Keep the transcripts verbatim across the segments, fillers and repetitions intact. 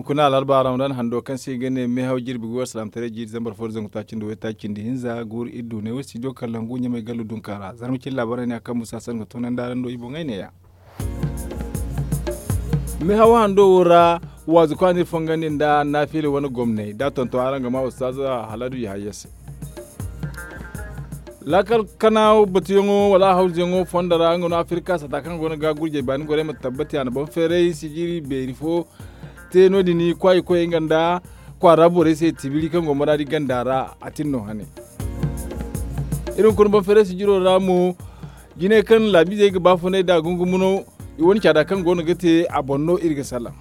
Kuna alarba ramadan hando kaŋ se i ga ne meehaw jirbi go alsilaamataray jiiri zambar fo da zangu taaci nda waytaaci nda hinza guuru iri du ne wo studio kalangu ɲamay gallu dunka ra zarma cine laabaarey ne a kaŋ musa san ga toonandi araŋ do i boŋey ne- ya. Meehaw hando wo ra waazu kaŋ a na iri fongandi nda naafila wane gomney da a tonton araŋ ga ma ustaaza haladu yahaya se. Laakal kana batuyaŋo wala hawzuyaŋo fondo ra nga no afirka sata kaŋ go no ga gurjey baani gorey ma tabbati a na boŋ feeray sijiri beeri fo te no- din kwaayi koyey nga nda kwaara borey se tibiri kaŋ go maraadi ganda ra a tin no hane. Iri hunkuna boŋ feeray sijiro ra mo jinay kaŋ laabiizey ga baafunay da gungumuno i wane caada kaŋ go no ga te a boŋ no iri ga salaŋ.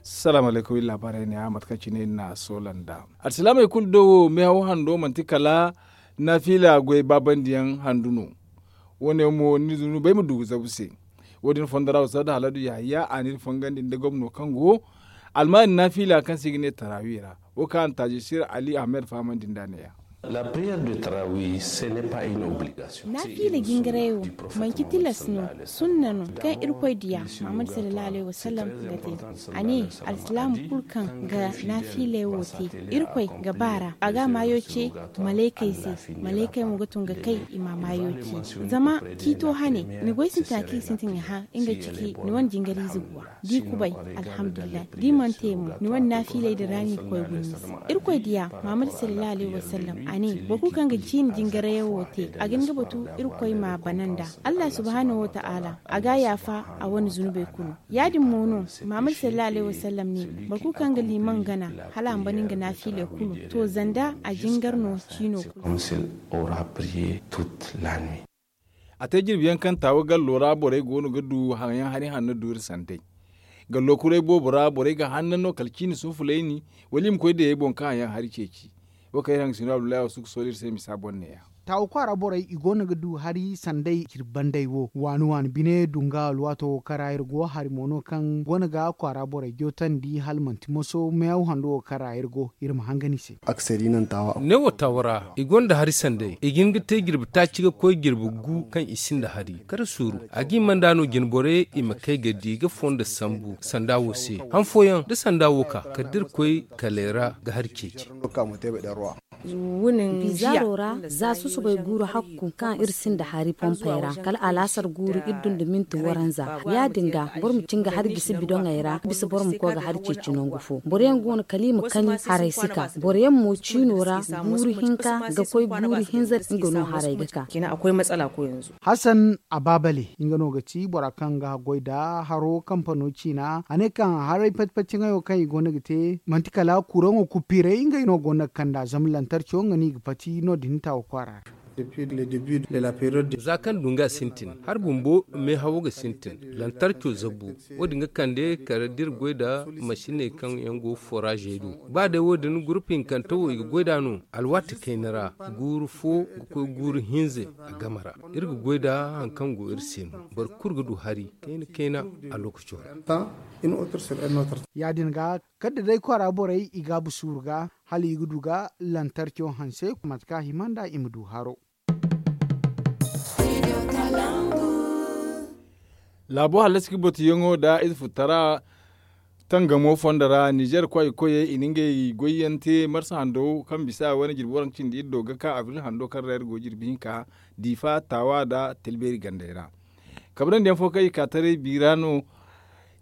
Salaamu alaykum iri laabaarey ne a mate kaŋ cine iri na a soola nda alsilaamey kulu do wo meehaw hando manti kala naafila goy baabandiyaŋ handu no. Wo- ne mo ni zunubey ma du ga zabu se. Wo- din fondo ra wasaadu haladu yahaya a na iri fongandi nda gomno kaŋ go almaani naafila kaŋ se i ga ne taraawi ra. Wo kaŋ a na taajisir ali ahmed fahamandi nd'a ne- ya. Naafiila jingaray wo manci tilas no. Sunna no kaŋ irkoy diya muhammad sallallahu alayhi wasallam ga te. A ne alsilaamu kulu kaŋ ga naafiiley wo te irkoy ga ba ra a ga a maayo ce malaykey se. Malaykey mo ga tun ga kay i ma a maayo ce. Zama ciito hane ni goy sintina kaŋ i sintin ga hã nga ciki ni wane jingariize guwa da i kubay. Alhamdulillahi da i mana te mo ni wane naafiiley din ra no i ga koy guna ni se. Irkoy diya muhammad sallallahu alayhi wasallam a ne boro kulu kaŋ ga ciine jingarayaŋ wo te a ga hin ga batu irkoy ma a bana nd'a. Allah subhanahu wataala a ga a yaafa a wane zunubey kulu. Ya- din mo no muhammad sallallahu alayhi wasallam ne boro kulu kaŋ ga liimaŋ gana hala a ma bana nga naafiiley kulu to zanda a jingar no ciino kulu. A te jirbi yaŋ kaŋ taawa gallo ra borey go no ga du haŋ yaŋ hari hanno du iri sandey. Gallo kuray boobo ra borey ga hanna no kala ciine suufulayni wala i ma koy dayey boŋ kaŋ haŋ yaŋ hari ceeci. Wo kaŋ iri haŋ ga sino abdullahi wasu ga sooli iri se misa boŋ ne- ya. Taawa kwaara borey i go no ga du hari sandey jirbi banday wo waani waani bine dunga alwaato wo kaŋ ra iri go hari mo no kaŋ go no ga kwaara borey jootandi hala manti moso meehaw hando wo kaŋ ra iri go iri ma hangan i se. Ne wo taawa ra i gonda hari sanday i ga hin ga te jirbi taaci ga koy jirbi gu kaŋ i sinda hari kar suuru. A ga i manda no jinborey i ma kay ga di ga fondo sambu sanda wo se han fooyaŋ da sanda wo ka kala da iri koy kalay ra ga hari ceeci. Bizaaro ra za susubay guuru hakku kaŋ iri sinda hari pompey ra kala alaasar guuru iri dunda minti waranza. Ya- din ga boro ma cin ga hari gisi bidoŋey ra bisa boro ma koy ga hari ceeci nangu fo boro yaŋ go no kala i ma kani haray si ka boro yaŋ mo ciino ra guuru hinka ga koy guuru hinza nga no haray ga ka. Hasan abaabale nga no ga ti bora kaŋ ga goy nda haro kampano ciina a ne kaŋ haray pati-pati ŋayo kaŋ i go no ga te manti kala kuraŋo kuppiiray ngey no go no ga kand'a zama lantarco nga no i ga pati no- din taawa kwaara ra. Za kaŋ dunga sintin hari bumbo meehawo ga sintin lantarco zabu. Wo- din ga kande kala da iri goy nda masiney kaŋ yaŋ go foraazey do ba day wo- din gurupu hinkante wo i ga goy nd'a no alwaati kayna ra guuru fo ga koy guuru hinza a game ra. Iri ga goy nda hari kaŋ go iri se no boro kulu ga du hari kayna kayna a lookaco ra. Ya- din ga kala da day kwaara borey i gaabu suuru ga hala i ga du ga lantarco hanse mate kaŋ a hima nd'a i ma du haro. Laabo hallasi ga batuyaŋo nda ize futara tangamo fondo ra nizer kwaay koyey i na ngey goyyaŋ te marsa hando kaŋ bisa wane jirbi waranka cindi iri do ga ka abril hando kaŋ ra iri go jirbi hinka diifa taawa nda talbeeri gandey ra. Kabrandi yaŋ fo kaŋ i ka taray biira no.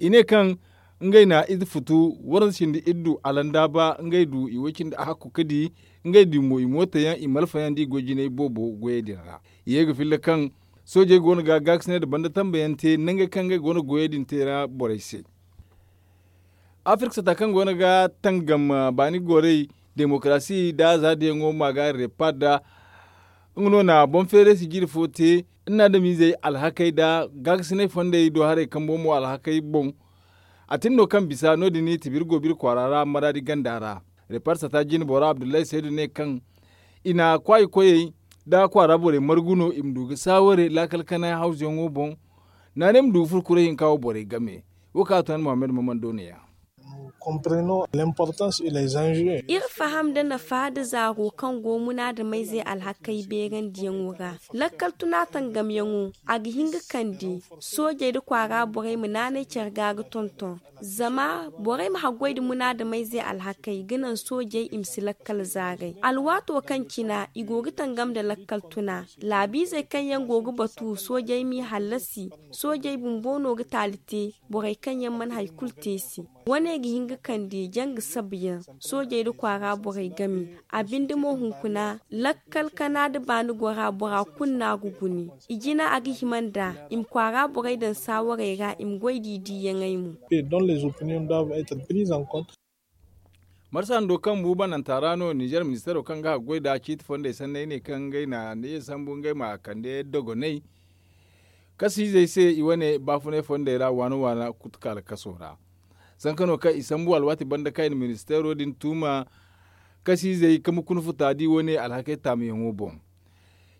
I ne kaŋ ngey na ize futu waranka cindi iri du alandaaba ngey du i way cindi a hakku ga di ngey din mo i mooto yaŋ i malfa yaŋ da i goy jinay boobo goyey din ra. I ye ga filla kaŋ soojey go no ga gaakasinay nda banda tambayaŋ te nangey kaŋ ngey go no goyey din te ra borey se. Afirka sata kaŋ go no ga tangam baani gorey demokarasi nda zaadiyaŋo ma ga repad nga no na boŋ feeray sijiri fo te nda adamizey alhakey nda gaakasinay fondey do haray kambo mo alhakey boŋ. A tin no kaŋ bisa no- din tibiri go biri kwaara ra maraadi ganda ra. Repad sata jine bora abdullahi saydu ne kaŋ i na kwaayi koyey nda kwaara borey margu no i ma du ga saaware laakal kanay hawzuyaŋo boŋ. Naanay ma du ga furo kuray hinka wo borey game. Wo kaŋ a tun muhammad maman do ne- ya. Iri faham nda nafa nda zaaro kaŋ go munaadameyze alhakey beerandiyaŋo ra. Lakkal tuna tangamyaŋo, a ga hin ga kande soojey nda kwaara borey ma naanay care ga ga tonton. Zama borey ma haggoy nda munaadameyze alhakey ga naŋ soojey i ma si lakkal zaaray. Alwaato kaŋ cina i go ga tangam nda lakkal tuna, laabiizey kaŋ yaŋ go ga batu soojey m'i hallasi. Soojey bumbo no ga taali te borey kaŋ yaŋ mana hari kulu te se. Wane ga hin ga kande janga sabuyaŋ soojey nda kwaara borey game. A binde mo hunkuna lakkal kana nda baani gora bora kulu no a ga gune. I jina a ga hima nda i ma kwaara borey daŋ saawarey ra i ma goy da i diiyaŋey mo. Marsa hando kaŋ bu bananta ra no nizer ministeero kaŋ ga haggoy nda ciiti fondey sanney ne kaŋ ngey na ne sambu ngey ma kande dogonay kasiizey se i wane baafunay fondey ra waana waana kutukaala kaso ra. Sanka no kaŋ i sambu alwaati banda kaŋ i na ministeero din tuuma kasiizey kambe kuna futa di wane alhakey taamuyaŋo boŋ.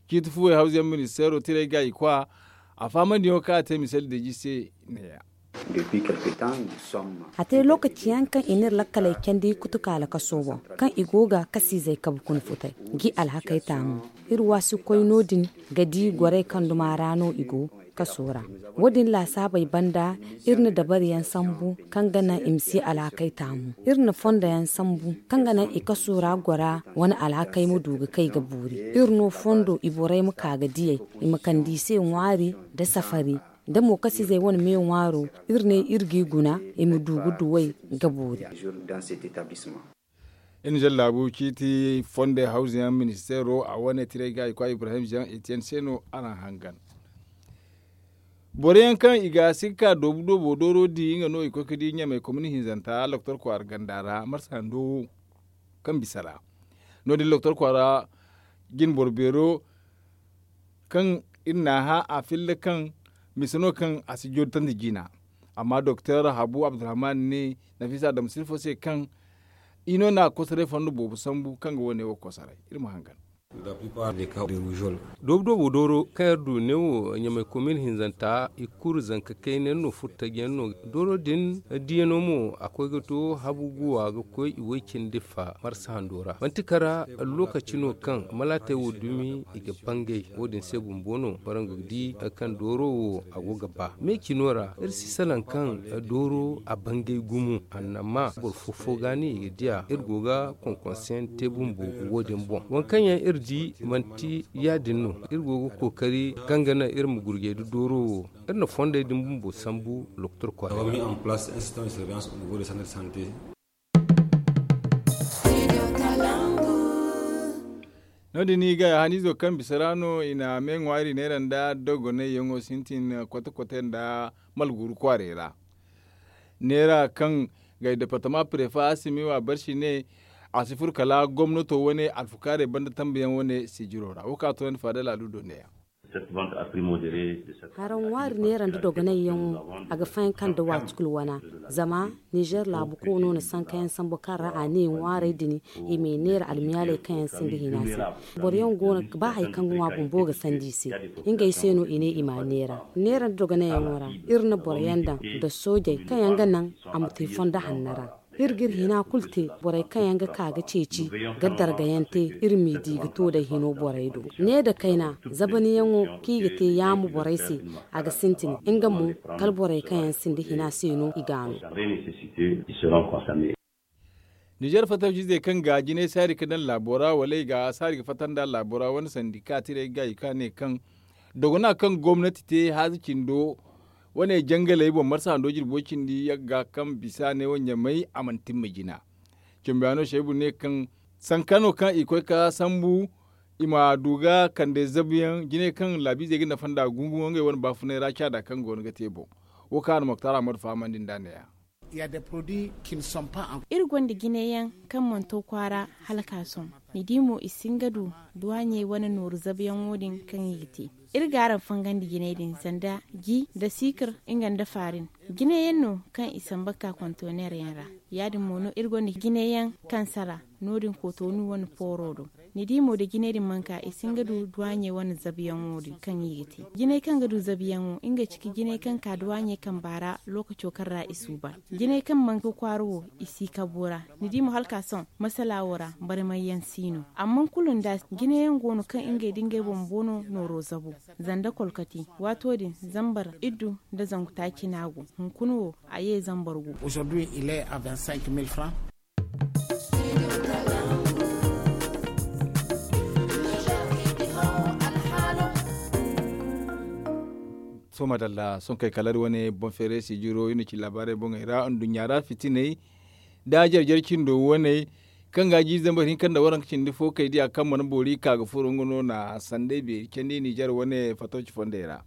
Ciiti fuwey hawzuyaŋ ministeero tiray ga i kwa a faamandiyaŋo kaŋ a te misali deeji se neeya. A te lookaci yaŋ kaŋ i n'iri lakkaley candi kutukaala kaso boŋ kaŋ i go ga kasiizey kabe kuna futay g'i alhakey taamu. Iri waasikoy no- din ga di gorey kaŋ duma ra no i go kaso ra. Wo- din laasaabey banda iri na dabariyaŋ sambu kaŋ ga naŋ i ma si alhakey taamu. Iri na fondoyaŋ sambu kaŋ ga naŋ i kaso ra gora wane alhakey ma du ga kay ga boori. Iri no fondo i borey ma ka ga diyey i ma kande i se ŋwaari nda safari. Da mo kasiizey wane me ŋwaaro iri ne iri g'i guna i ma du ga duwey ga boori. Iri na jallaabu ciiti fonde hawzuyaŋ ministeero a wane tiray ga i kwa ibrahim jean etienne se no araŋ hangan. Boro yaŋ kaŋ i ga si ga ka doobu doobo dooro di nga no i koy ga di ɲamay komini hinzanta loktor kwaara ganda ra marsa hando wo kaŋ bisa ra. No- din loktor kwaara jine boro beero kaŋ iri n'a hã a filla kaŋ mise no kaŋ a si joori tandi jiina. Amma doktor habu abdurrahman ne nafisa adamu silfo se kaŋ i no na kosoray fondo boobo sambu kaŋ ga wane wo kosoray iri ma hangan. Doobu doobo dooro kaŋ iri du neewo ɲamay komin hinzanta i kulu zanka kayna yaŋ no furtaji yaŋ no. Dooro din diyaŋo mo a koy ga to habu guwa ga koy i way cindi fa marsa hando ra manti kara. Lokaci no kaŋ malaatey wo dumi i ga bangay wo- din se bumbo no boro nga ga di kaŋ dooro wo a go ga ba me cino ra iri si salaŋ kaŋ dooro a bangay gumo. Annama boro fo fo ga no i ga diya iri go ga konkonse yaŋ te bumbo. Wo- din boŋ waŋ kaŋ yaŋ iri di manti ya- din no iri go ga kookari kaŋ ga naŋ iri ma gurjay nda dooro wo. Iri na fondey din bumbo sambu loktor kwaara. No- din i ga haniizo kaŋ bisa ra no i na me ŋwaari neera nda dogonayyaŋo sintin kote kote nda malguuru kwaarey ra. Neera kaŋ gay departama prefa asimi wa barsi ne a si furo kala gomnato wane alfukaarey banda tambayaŋ wane sijiro ra wo kaŋ a toonandi faadal aludo neeya. Haraŋ ŋwaari neera nda dogonayyaŋo a ga fayanka nda waati kulu wana. Zama nizer laabu koono na sankayaŋ sambu kaŋ ra a ne ŋwaarey din i ma i neera almiyaaley kaŋ yaŋ sinda hina se. Boro yaŋ go no ba hari kaŋ ga ŋwa bumbo ga sandi i se. Ngey se no i ne i m'a neera. Neera nda dogonayyaŋo ra iri na boro yaŋ daŋ nda soojey kaŋ yaŋ ga naŋ a ma te fondo hanno ra. Iri ga iri hina kulu te borey kaŋ yaŋ ga ka ga ceeci ga dargayaŋ te. Iri m'i di ga to day hino borey do ne nda kayna zabaniyaŋo kaŋ i ga te yaamo borey se. A ga sintin nga mo kala borey kaŋ yaŋ sinda hina se no i ga no. Nizer fattaw-izey kaŋ ga jinay saari ga daŋ laabo ra wala i ga saari ga fatta nda laabo ra wane sandika tirey ga i ka ne kaŋ dogona kaŋ gomnati te haaza cindo wane jangaley boŋ marsa hando jirbo cindi yagga kaŋ bisa ne wo ɲamay a mana timma jina. Cambiyaano seebu ne kaŋ sankano kaŋ i koy ga sambu i ma du ga kande zabuyaŋ jinay kaŋ laabiizey ga nafa nda gungumo ngey wane baafunay ra caada kaŋ go no ga te boŋ. Wo kaŋ a na moktar ahmadu fahamandi nd'a neeya. Iri gonda jinay yaŋ kaŋ mana to kwaara hala ka sohõ. Ni di mo i si hin ga du duwaaɲey wane nooru zabuyaŋo din kaŋ i ga te. Iri g'araŋ fangandi jinay din sanda ji nda siikir nga nda faarin. Jine yaŋ no kaŋ i samba ga ka kontoneer yaŋ ra. Ya- din mo no iri gonda jine yaŋ kaŋ sara no- din kootonu wane pooro do. Ni di mo da jine din mana ka i si hin ga du duwaaɲey wane zabuyaŋo din kaŋ i ga te. Jiney kaŋ ga du zabuyaŋo ngey ciki jiney kaŋ ka duwaaɲey kamba ra lookaco kaŋ ra i suuban. Jiney kaŋ mana to kwaara wo, i si kabu ra. Ni di mo hala ka sohõ masala wo ra barmay yaŋ si no. Amma kulu nda jine yaŋ go no kaŋ ngey da ngey boŋ boono nooro zabu. Zanda kolkati waato din zambar iddu nda zangu taaci no a go. Hunkuna wo a ye zambar gu. Sohõ madalla sohõ kay kala iri wane boŋ feeray sijiro iri na ci laabaarey boŋey ra nduɲɲa ra fitiney da jare jare cindo waney kaŋ ga a jiiri zambar hinka nda waranka cindi fo kay diya kaŋ mana boori ka ga furo nga no na sandey beeri candi nizer wane fatoci fondey ra.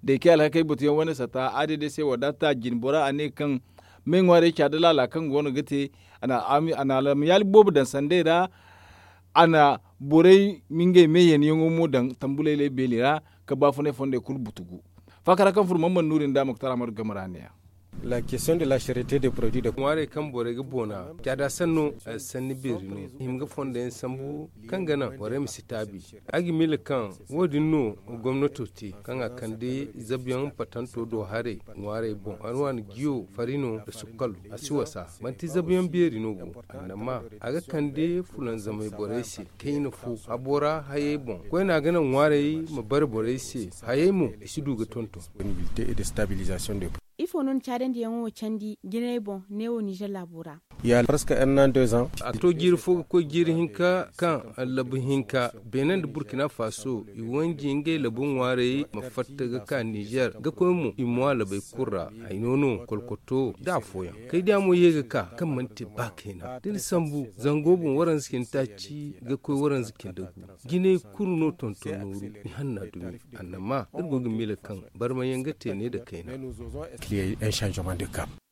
Da i kay alhakey batuyaŋ wane sata a day se wadaata jine bora a ne kaŋ me ŋwaarey caada laala kaŋ go no ga te. A na alamiyaali boobo daŋ sandey ra. A na borey ma ngey me yeenyaŋo mo daŋ tambulaylay beeli ra ka baafunay fondey kulu butugu. Faakara kaŋ furo man mana nuuri nda muktar ahmadu game ra ne- ya. La question de la charité de produit de ŋwaarey kaŋ borey ga boona caada sanno sanni beeri no i hima ga fondo yaŋ sambu kaŋ ga naŋ borey ma si taabi. A ga miila kaŋ wo- din no gomnato te kaŋ a kande zabuyaŋ patanto do haray ŋwaarey boŋ a no a na jiyo farino nda sukkalo a si wasa. Manti zabuyaŋ beeri no go annama a ga kande fulanzamay borey se kayna fo habo ra hayey boŋ koyne a ga naŋ ŋwaarey ma bare borey se. Hayey mo i si du ga tonton. Ifo no ni caadandiyaŋo wo candi jinay boŋ neewo nizer laabo ra? A to jiiri fo ga koy jiiri hinka kaŋ labu hinka beene nda burkina faso i wanji ngey labu ŋwaarey ma fatta ga ka nizer ga koy mo i mo a labey kulu ra. Hayno no kolkoto da afooyaŋ kay diya mo ye ga ka kaŋ mana te ba kayna da ni sambu zango boŋ waranza cindi taaci ga koy waranza cindi gu. Jinay kulu no tonton nooru ni hanna dumi. Annama iri go ga miila kaŋ barmayaŋ ga te ne nda kayna.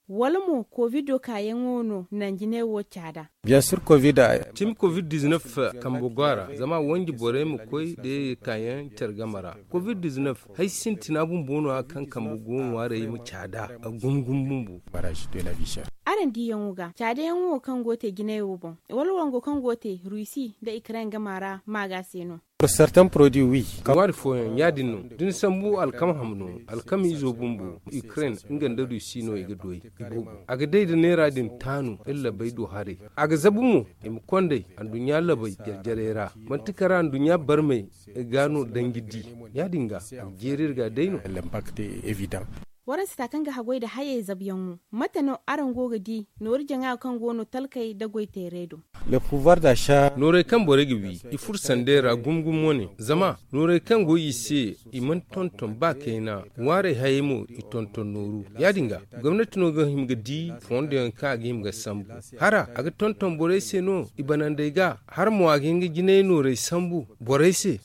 Wala mo kovido kaayaŋo no nanjinay wo caada? Bien sûr covid a. Cimi covid-19 kambe go a ra zama wanji borey ma koy da ye kaayaŋ care game ra. Covid-19 hari sintina bumbo no- ya kaŋ kambe go ŋwaarey ma caada a gum gum bumbo. Araŋ diyaŋo ga caadayaŋo wo kaŋ go ga te jinay wo boŋ wala wango kaŋ go ga te rusi nda ukraine game ra maaga se no? Ŋwaari fooyaŋ ya- din no da ni sambu alkama ham no. Alkama izo bumbo ukraine nga nda rusi no i ga doy. I boobo a ga day nda neera din taanu iri labey do haray. A ga zabu mo i ma kondey anduɲɲa labey jare jarey ra. Manti kara anduɲɲa barmey ga no danji di. Ya- din ga a ga jeeri iri ga day no. Waransa ta kaŋ ga haggoy nda hayey zabuyaŋo mate no araŋ go ga di nooru jaŋa kaŋ go no talkey nda goy teerey do? Noorey kaŋ borey ga wi i furo sandey ra gumo gumo wane zama noorey kaŋ go i se i mana tonton ba kayna. Ŋwaarey hayey mo i tonton nooru. Ya- din ga gomnati no ga hima ga di fondo yaŋ kaŋ a ga hima ga sambu. Hara a ga tonton borey se no i banandey ga hara mo a ga hin ga jinay noorey sambu borey se.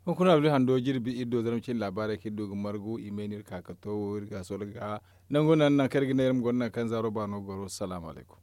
Hunkuna abdu hando jirbi iri do zarma cine laabaarey kaŋ iri du ga margu i may no iri ka ga to wo iri ga sola ga nangu naŋ naŋ kaŋ iri ga ne iri ma goro naŋ kaŋ zaaro baano goro salaamu alaykum.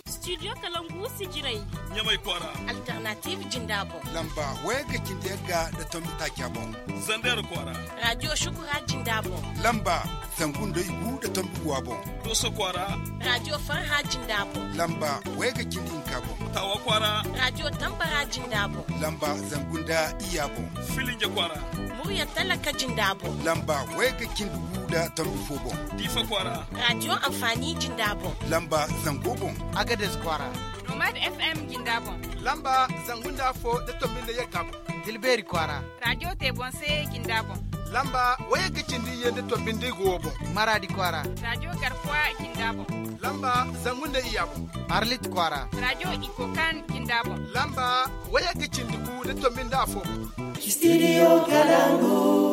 Studio kalangu sijirey ɲamay kwaara. Alternative jinda boŋ lamba wayga cindi yagga nda tombi taaca boŋ. Zander kwaara radio shukura jinda boŋ lamba zangu nda igu nda tombi guwa boŋ. Doso kwaara radio farha jinda boŋ lamba wayga cindi hinka boŋ. Tawa kwaara radio tambara jinda boŋ lamba zangu nda iyya boŋ. Filinje kwaara murya talaka jinda boŋ lamba wayga cindi gu nda tombi fo boŋ. Diifa kwaara radio anfaani jinda boŋ lamba zango boŋ. Agades kwaara nomad fm jinda boŋ lamba zangu nda afo nda tombi nda yagga boŋ. Tilbeeri kwaara radio teebonse jinda boŋ lamba wayagga cindi iyye nda tombi nda igu wo boŋ. Maraadi kwaara radio garkuwa jinda boŋ lamba zangu nda iyya boŋ. Arlit kwaara radio ikokan jinda boŋ lamba wayagga cindi gu nda tombi nda afo boŋ. Studio kalangu.